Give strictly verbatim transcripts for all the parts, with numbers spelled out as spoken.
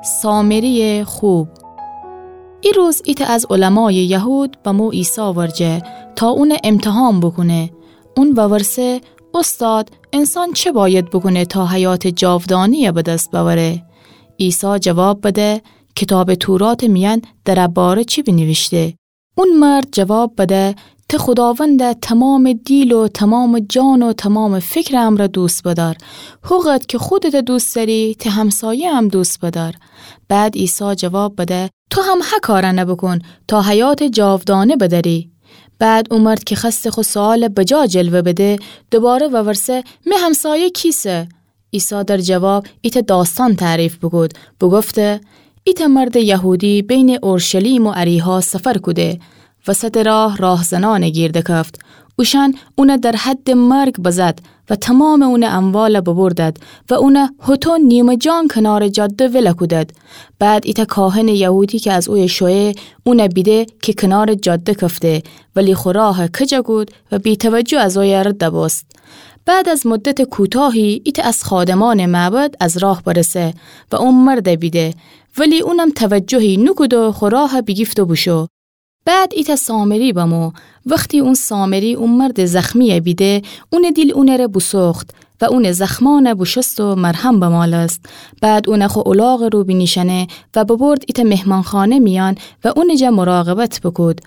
سامری‌یٚ خوب. ای روز ایتأ از علمایٚ یهود بمو عیسی ورجه تا اونَ امتحان بوکونه. اون وورسه: اوستاد، انسان چه باید بوکونه تا حیاتٚ جاودانه‌یَ به دس بأوره؟ عیسی جواب بده: کیتابٚ توراتٚ میأن در ا باره چی بینیویشته؟ اون مرد جواب بده: ته خوداوندَ تومامٚ دیل و تومامٚ جان و تومامٚ فکرٚ امرأ دوست بدأر. هوقدر کی خودتَ دوست دأری، ته همسایه‌یَ هم دوست بدأر. بعد عیسی جواب بده: تو هم ه کارأنَ بوکون تا حیاتٚ جاودانه بدأری. بعد او مرد کی خوأسته خو سؤالَ بجا جلوه بده، دوباره وورسه: می همسایه کیسه؟ عیسی در جواب ایتأ داستان تعریف بوکود، بوگفته: ایتأ مردٚ یهودی بینٚ اورشلیم و اریحا سفر کوده. وسطٚ راه راهزنأنَ گیر دکفت. اوشأن اونَ در حدٚ مرگ بزد و تومامٚ اونٚ اموالَ ببردد و اونَ هوطو نیمه‌جان کنارٚ جاده ولَ کودد. بعد ایتأ کاهنٚ یهودی کی از اویه شویه، اونَ بیده کی کنارٚ جاده کفته، ولی خو راهَ کج کود و بی‌توجه از اویه رد بوست. بعد از مدتٚ کوتاهی ایتأ از خادمأنٚ معبد از راه برسه و او مردَ بیده، ولی اونم توجهی نوکود و خو راهَ بیگیفت و بوشو. بعد ایتأ سامری بمو. وختی اون سامری او مردٚ زخمی‌یَ بیده، اونٚ دیل اونٚره بوسوخت و اونٚ زخمأنَ بوشوست و مرهم بمالست. بعد اونَ خو الاغٚ رو بینیشأنه و ببرد ایتأ مهمانخانه میأن و اونٚ جا مراقبت بوکود.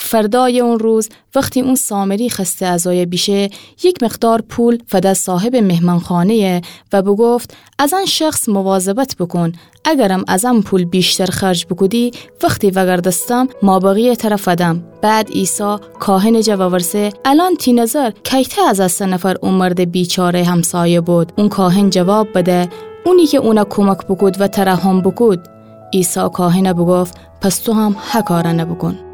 فردایٚ اون روز وختی اون سامری خوأسته از اویه بیشه، یک مقدار پول فده صاحبٚ مهمانخانه‌یَ و بوگفت: از ان شخص مواظبت بوکون، اگرم از ان پول ویشتر خرج بوکودی، وختی وأگردستم مابقی‌یَ تره فدم. بعد عیسی کاهنٚ جا وورسه: الأن تی نظر کیتأ از ا سه نفر او مردٚ بیچاره‌یٚ همسایه بود؟ اون کاهن جواب بده: اونی کی اونَ کمک بوکود و ترحم بوکود. عیسی کاهنَ بوگفت: پس تو هم ه کارأنَ بوکون.